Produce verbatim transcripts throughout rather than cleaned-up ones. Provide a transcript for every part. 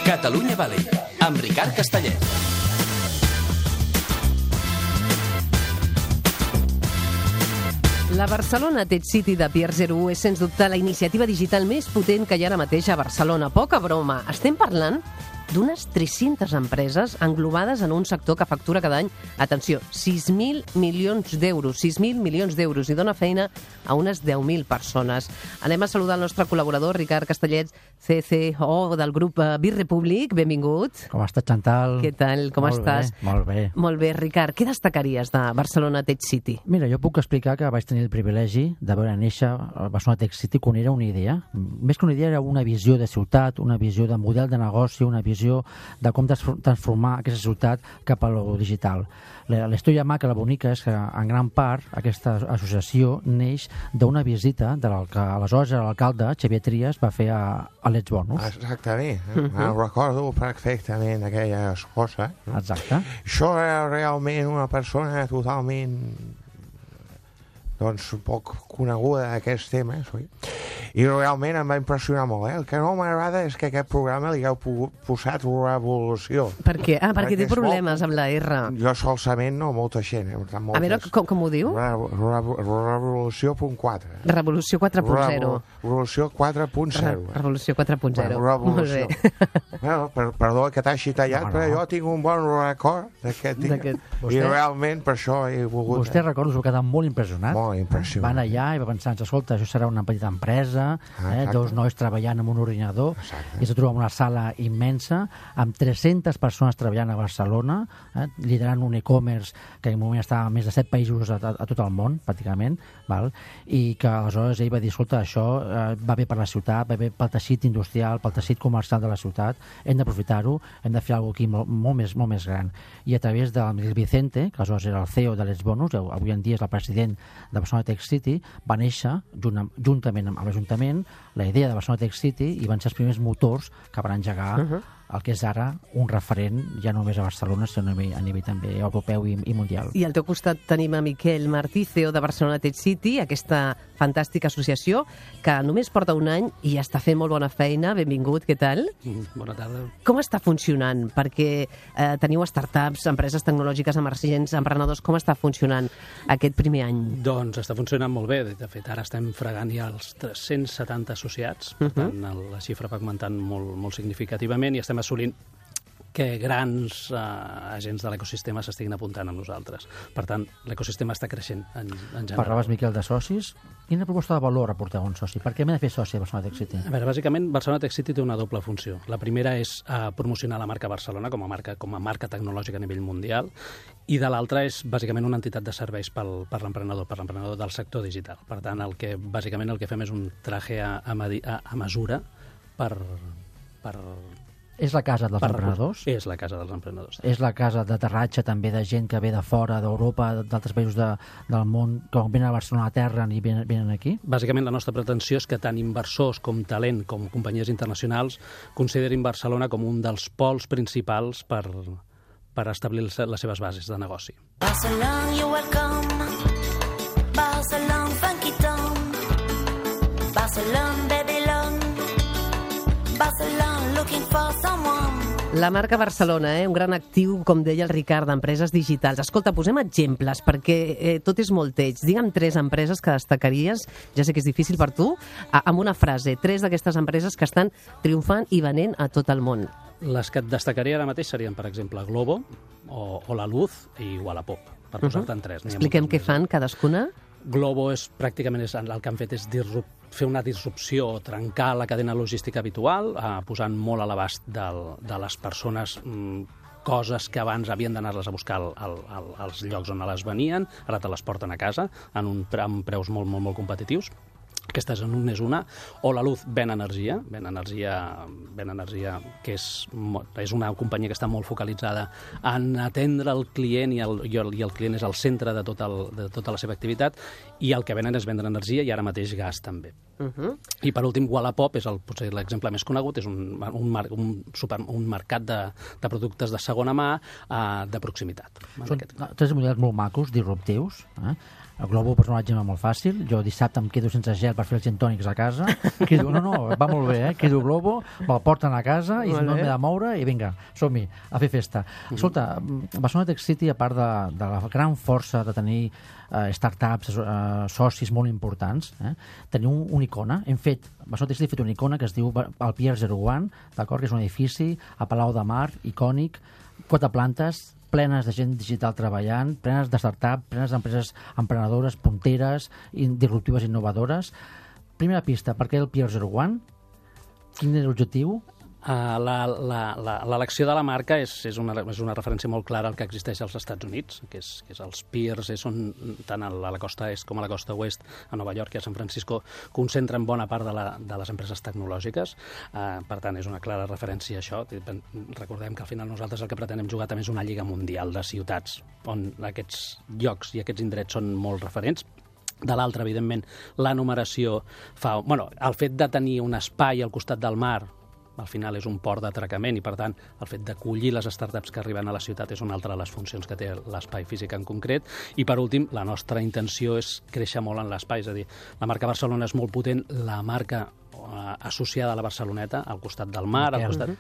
Catalunya Valley, amb Ricard Castellet. La Barcelona Tech City de Pier zero u és, sens dubte, la iniciativa digital més potent que hi ha ara mateix a Barcelona. Poca broma. Estem parlant d'unes tres-centes empreses englobades en un sector que factura cada any, atenció, sis mil milions d'euros, sis mil milions d'euros, i dona feina a unes deu mil persones. Anem a saludar el nostre col·laborador, Ricard Castellet, C C O del grup Birrepublic. Benvingut. Com estàs, Chantal? Què tal? Com molt estàs? Bé, molt bé. Molt bé, Ricard. Què destacaries de Barcelona Tech City? Mira, jo puc explicar que vaig tenir el privilegi de veure néixer a Barcelona Tech City quan era una idea. Més que una idea, era una visió de ciutat, una visió de model de negoci, una visió de com transformar aquesta ciutat cap a lo digital. La història maca, la bonica, és que en gran part aquesta associació neix d'una visita de l'aleshores l'alcalde Xavier Trias va fer a, a Let's Bonus. Exactament, uh-huh. Em recordo perfectament aquelles coses. Exacte. Això era realment una persona totalment doncs poc coneguda d'aquests temes, oi? I realment em va impressionar molt, eh? El que no m'agrada és que aquest programa li heu posat revolució. Per què? Ah, perquè, perquè té problemes molt... amb la R. Jo solament no, molta gent. Eh? A veure, com, com ho diu? Re, re, revolució punt quatre. Revolució quatre punt zero. Revolució quatre punt zero. Re, revolució quatre punt zero. Bueno, molt bé. Bueno, per, perdó que t'hagi tallat, no, no. Però jo tinc un bon record d'aquest dia. I realment per això he volgut... Vostè, recordo, s'ho quedat molt impressionat. Molt impressionat. Van allà i va pensar, escolta, això serà una petita empresa, ah, eh, dos nois treballant amb un ordinador, exacte. I es troba en una sala immensa amb tres-centes persones treballant a Barcelona, eh, liderant un e-commerce que en un moment estava a més de set països a, a, a tot el món, pràcticament, val? I que aleshores ell va dir, escolta, això eh, va bé per la ciutat, va bé pel teixit industrial, pel teixit comercial de la ciutat, hem d'aprofitar-ho, hem de fer alguna cosa aquí molt, molt, més, molt més gran. I a través de Miguel Vicente, que aleshores era el C E O de Let's Bonus, avui en dia és el president de Barcelona Tech City, va néixer junt, juntament amb l'Ajuntament la idea de Barcelona Tech City i van ser els primers motors que van engegar uh-huh. el que és ara un referent ja no només a Barcelona, sinó a nivell, a nivell també europeu i, i mundial. I al teu costat tenim a Miquel Martí, C E O de Barcelona Tech City, aquesta fantàstica associació que només porta un any i està fent molt bona feina. Benvingut, què tal? Bona tarda. Com està funcionant? Perquè eh, teniu startups, empreses tecnològiques emergents, emprenedors, com està funcionant aquest primer any? Doncs està funcionant molt bé. De fet, ara estem fregant ja els tres-cents setanta associats, per uh-huh. tant, la xifra va augmentant molt, molt significativament i estem assolint que grans eh, agents de l'ecosistema s'estiguin apuntant amb nosaltres. Per tant, l'ecosistema està creixent en, en general. Parlaves, Miquel, de socis. Quina proposta de valor aporteu a un soci? Per què m'he de fer soci a Barcelona Tech City? A veure, bàsicament, Barcelona Tech City té una doble funció. La primera és eh, promocionar la marca Barcelona com a marca, com a marca tecnològica a nivell mundial, i de l'altra és bàsicament una entitat de serveis pel, per l'emprenedor, per l'emprenedor del sector digital. Per tant, el que, bàsicament el que fem és un traje a, a, a, a mesura per... per És la casa dels per, emprenedors? És la casa dels emprenedors. És la casa d'aterratge també de gent que ve de fora, d'Europa, d'altres països de, del món, que venen a Barcelona a terra i venen, venen aquí? Bàsicament la nostra pretensió és que tant inversors com talent, com companyies internacionals, considerin Barcelona com un dels pols principals per, per establir les seves bases de negoci. Barcelona, you're welcome. Barcelona, funky town. Barcelona, Babylon. Barcelona, looking for someone. La marca Barcelona, eh? Un gran actiu, com deia el Ricard, d'empreses digitals. Escolta, posem exemples, perquè eh, tot és molt teig. Digue'm tres empreses que destacaries, ja sé que és difícil per tu, a, amb una frase, tres d'aquestes empreses que estan triomfant i venent a tot el món. Les que et destacaria ara mateix serien, per exemple, Globo, o, o La Luz i Wallapop, per posar-te'n tres. Expliquem què fan cadascuna. Globo és pràcticament és, el que han fet és disrup, fer una disrupció, trencar la cadena logística habitual, eh, posant molt a l'abast de les persones mm, coses que abans havien d'anar-les a buscar al, al, al, als llocs on les venien, ara te les porten a casa en un, amb preus molt, molt, molt competitius. Aquesta és una, o La Luz ven energia, ven energia, ven energia que és, és una companyia que està molt focalitzada en atendre el client i el, i el, i el client és el centre de, tot el, de tota la seva activitat, i el que venen és vendre energia i ara mateix gas també. Uh-huh. I per últim, Wallapop és el, potser l'exemple més conegut, és un, un, mar, un, super, un mercat de, de productes de segona mà uh, de proximitat. Són tres models molt macos, disruptius. Eh? El Globo és un exemple molt fàcil. Jo dissabte em quedo sense gel per fer els gintònics a casa. Crido, no, no, va molt bé, eh? Crido Globo, me'l porten a casa i si no m'he de moure i vinga, som-hi, a fer festa. Mm-hmm. Escolta, Barcelona Tech City, a part de, de la gran força de tenir eh, startups, eh, socis molt importants, eh? teniu un, una icona. Hem fet, Barcelona Tech City ha fet una icona que es diu el Pier zero one, d'acord? Que és un edifici a Palau de Mar, icònic, quatre plantes, plenes de gent digital treballant, plenes de start-up, plenes d'empreses emprenedores, punteres, disruptives, innovadores. Primera pista, per què el Pier zero one? Quin és l'objectiu? Uh, L'elecció de la marca és, és, una, és una referència molt clara al que existeix als Estats Units, que és, que és els piers, són tant a la costa est com a la costa oest, a Nova York i a San Francisco, concentren bona part de, la, de les empreses tecnològiques. Uh, per tant, és una clara referència a això. Recordem que al final nosaltres el que pretenem jugar també és una lliga mundial de ciutats, on aquests llocs i aquests indrets són molt referents. De l'altra, evidentment, la numeració fa... Bueno, el fet de tenir un espai al costat del mar, al final és un port d'atracament i, per tant, el fet d'acollir les startups que arriben a la ciutat és una altra de les funcions que té l'espai físic en concret. I, per últim, la nostra intenció és créixer molt en l'espai, és a dir, la marca Barcelona és molt potent, la marca eh, associada a la Barceloneta, al costat del mar, al costat...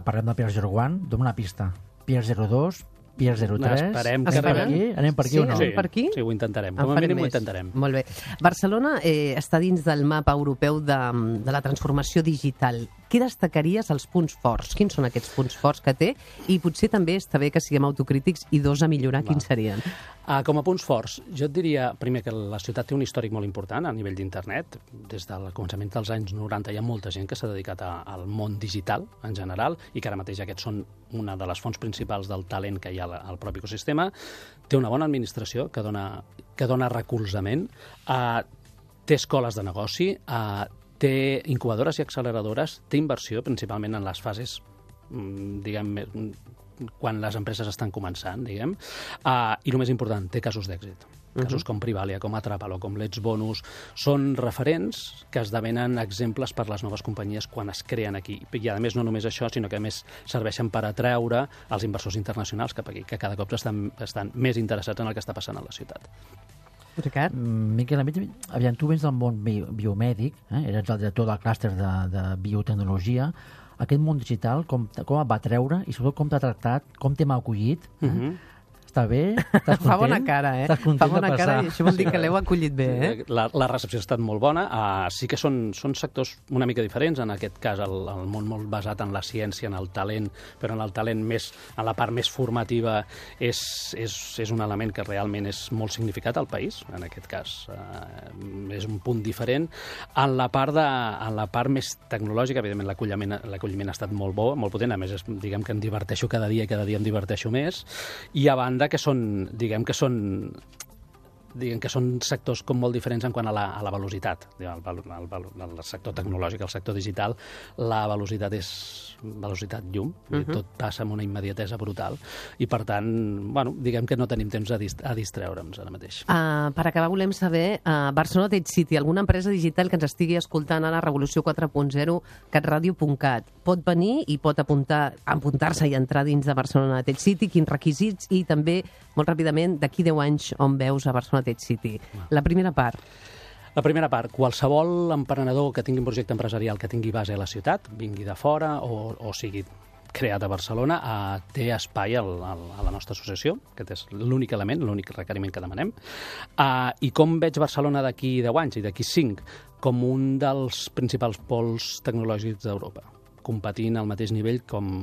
Parlem del Pier zero one, dona una pista. Pier zero dos, Pier zero tres... Esperem que... Anem per aquí, anem per aquí sí, o no? Sí, per aquí? Sí, ho intentarem. Com a mínim ho intentarem. Molt bé. Barcelona eh, està dins del mapa europeu de, de la transformació digital. Què destacaries els punts forts? Quins són aquests punts forts que té? I potser també està bé que siguem autocrítics i dos a millorar. Va. Quins serien? Uh, com a punts forts, jo et diria, primer, que la ciutat té un històric molt important a nivell d'internet. Des del començament dels anys noranta hi ha molta gent que s'ha dedicat a, al món digital en general i que ara mateix aquests són una de les fonts principals del talent que hi ha al propi ecosistema. Té una bona administració que dona, que dona recolzament. Uh, té escoles de negoci, uh, té incubadores i acceleradores, té inversió principalment en les fases, diguem, quan les empreses estan començant, diguem, uh, i el més important, té casos d'èxit. Casos uh-huh. com Privalia, com Atrapalo, com Let's Bonus, són referents que esdevenen exemples per les noves companyies quan es creen aquí. I a més no només això, sinó que a més serveixen per atraure els inversors internacionals cap aquí, que cada cop estan, estan més interessats en el que està passant a la ciutat. Ricard? Miquel, aviam, tu vens del món bi biomèdic, eh? eres el director del clúster de, de biotecnologia. Aquest món digital, com, com et va treure i sobretot com t'ha tractat, com t'hem acollit? Eh? Uh-huh. Està bé? Estàs content? Fa bona cara, eh? Estàs content Fa bona de passar? cara i això vol dir que l'heu acollit bé, eh? La, la recepció ha estat molt bona. Uh, sí que són, són sectors una mica diferents. En aquest cas, el, el món molt basat en la ciència, en el talent, però en el talent més, en la part més formativa és, és, és un element que realment és molt significat al país. En aquest cas, uh, és un punt diferent. En la part, de, en la part més tecnològica, evidentment, l'acolliment l'acolliment ha estat molt bo, molt potent. A més, és, diguem que em diverteixo cada dia i cada dia em diverteixo més. I a banda que són, diguem que són diguem que són sectors com molt diferents en quant a la, a la velocitat. El, el, el, el sector tecnològic, el sector digital, la velocitat és velocitat llum, uh-huh. tot passa amb una immediatesa brutal i, per tant, bueno, diguem que no tenim temps a, dist a distreure'ns ara mateix. Uh, per acabar, volem saber, uh, Barcelona Tech City, alguna empresa digital que ens estigui escoltant a la Revolució quatre punt zero, catradio punt cat, pot venir i pot apuntar, apuntar-se i entrar dins de Barcelona Tech City, quins requisits i també, molt ràpidament, d'aquí deu anys on veus a Barcelona Tech City. La primera part. La primera part, qualsevol emprenedor que tingui un projecte empresarial que tingui base a la ciutat, vingui de fora o, o sigui creat a Barcelona, eh, té espai al, al, a la nostra associació, que és l'únic element, l'únic requeriment que demanem. Eh, I com veig Barcelona d'aquí deu anys i d'aquí cinc? Com un dels principals pols tecnològics d'Europa, competint al mateix nivell com,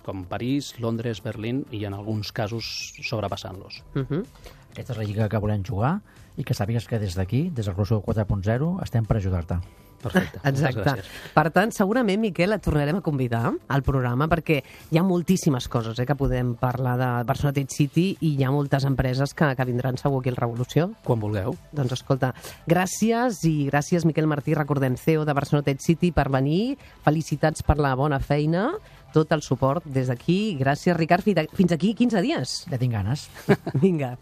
com París, Londres, Berlín i en alguns casos sobrepassant-los. Uh-huh. Aquesta és la lliga que volem jugar i que sàpigues que des d'aquí, des del Revolució quatre punt zero, estem per ajudar-te. Perfecte. Exacte. Per tant, segurament, Miquel, et tornarem a convidar al programa perquè hi ha moltíssimes coses eh, que podem parlar de Barcelona Tech City i hi ha moltes empreses que, que vindran segur aquí al Revolució. Quan vulgueu. Doncs escolta, gràcies i gràcies, Miquel Martí, recordem, C E O de Barcelona Tech City, per venir. Felicitats per la bona feina, tot el suport des d'aquí. Gràcies, Ricard. Fins aquí quinze dies. Ja tinc ganes. Vinga.